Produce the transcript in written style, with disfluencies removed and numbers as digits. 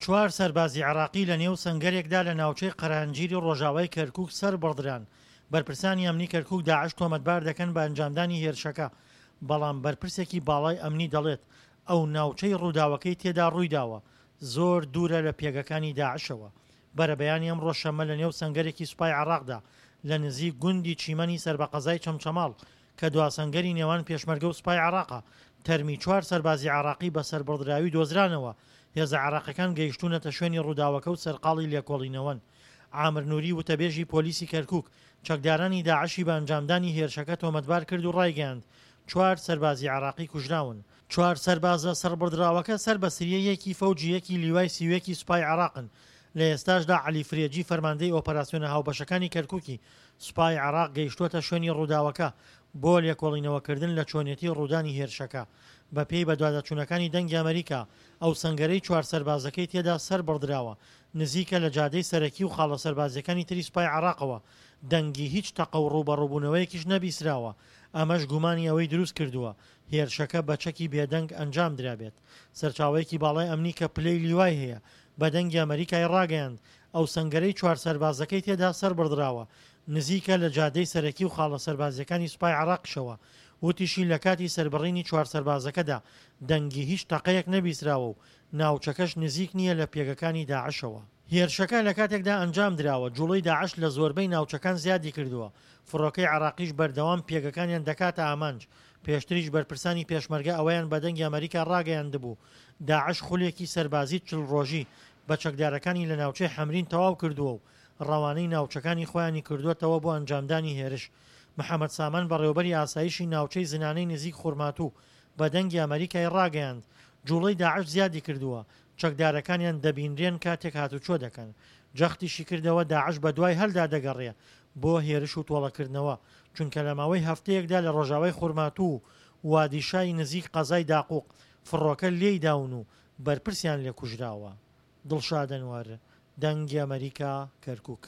چوار سەربازی عێراقی لە نێو سەنگەرێکدا لە ناوچەی قەرانجیری ڕۆژاوای کەرکوک سەربڕدران، بەرپرسانی ئەمنی کەرکوک داعش تۆمەتبار دەکەن بە ئەنجامدانی هێرشەکە، بەڵام بەرپرسێکی باڵای ئەمنی دەڵێت، ئەو ناوچەی ڕووداوەکەی تێدا ڕوویداوە زۆر دوورە لە پێگەکانی داعشەوە. بەرەبەیانی ئەمڕۆ شەممە لە نێو سەنگەرێکی سوپای عێراقدا لە نزیک گوندی چیمەنی سەر بە قەزای چەمچەماڵ کە دوا سەنگەری نێوان پێشمەرگە و سوپای عێراقە، تەرمی چوار سەربازی عێراقی بە سەربڕدراوی دۆزرانەوە، هێزە عێراقیەکان گەیشتوونەتە شوێنی ڕووداوەکە و سەرقاڵی لێکۆڵینەوەن. عامر نوری وتەبێژی پۆلیسی کەرکوک، چەکدارانی داعشی بە ئەنجامدانی هێرشەکە تۆمەتبار کرد و ڕایگەیاند، چوار سەربازی عێراقی کوژراون. چوار سەربازە سەربڕدراوەکە سەر بە سریە یەکی فەوجی یەکی لیوای 31 ی سوپای عێراقن. لە ئێستاشدا عەلی فرێجی فەرماندەی ئۆپەراسیۆنە هاوبەشەکانی کەرکوکی سوپای عێراق گەیشتووەتە شوێنی ڕووداوەکە بۆ لێکۆڵینەوەکردن لە چۆنێتی ڕوودانی هێرشەکە. بەپێی بەدواداچوونەکانی دەنگی ئەمەریکا، ئەو سەنگەرەی چوار سەربازەکەی تێدا سەربڕدراوە، نزیکە لە جادەی سەرەکی و خاڵە سەربازییەکانی تری سوپای عێراقەوە، دەنگی هیچ تەقە و ڕووبەڕووبوونەوەیەکیش نەبیسراوە، ئەمەش گومانی ئەوەی دروستکردووە هێرشەکە بە چەکی بێدەنگ ئەنجام درابێت. سەرچاوەیەکی باڵای ئەمنی کە پلەی لیوای هەیە بە دەنگی ئەمەریکای ڕاگەیاند، ئەو سەنگەرەی چوار سەربازەکەی تێدا سەربڕدراوە، نزیکە لە جادەی سەرەکی و خاڵە سەربازییەکانی سوپای عێراقیشەوە. وتیشی لە کاتی سەربڕینی چوار سەربازەکەدا دەنگی هیچ تەقەیەک نەبیستراوە و ناوچەکەش نزیک نییە لە پێگەکانی داعشەوە. هێرشەکە لە کاتێکدا ئەنجام دراوە، جوڵەی داعش لە زۆربەی ناوچەکان زیادی کردووە، فڕۆکەی عێراقیش بەردەوام پێگەکانیان دەکاتە ئامانج، پێشتریش بەرپرسانی پێشمەرگە ئەوەیان بە دەنگی ئەمەریکا ڕاگەیاندبوو، داعش خولێکی سەربازی 40 ڕۆژی بە چەکدارەکانی لە ناوچەی حەمرین تەواو کردووە و ڕەوانەی ناوچەکانی خۆیانی کردووەتەوە بۆ ئەنجامدانی هێرش. محەمەد سامان بەڕێوەبەری ئاسایشی ناوچەی زنانەی نزیک خورماتوو بە دەنگی ئەمەریکای ڕاگەیاند، جوڵەی داعش زیادی کردووە، چەکدارەکانیان دەبینرێن کاتێک هاتوچۆ دەکەن. جەختیشی کردەوە داعش بەدوای هەلدا دەگەڕێ بۆ هێرش و تۆڵەکردنەوە، چونکە لە ماوەی هەفتەیەکدا لە ڕۆژاوای خورماتوو و وادیشای نزیک قەزای داقوق فڕۆکە لێی داون و بەرپرسیان لێ کوژراوە. دڵشاد ئەنوەر، دەنگی ئەمەریکا، کەرکوک.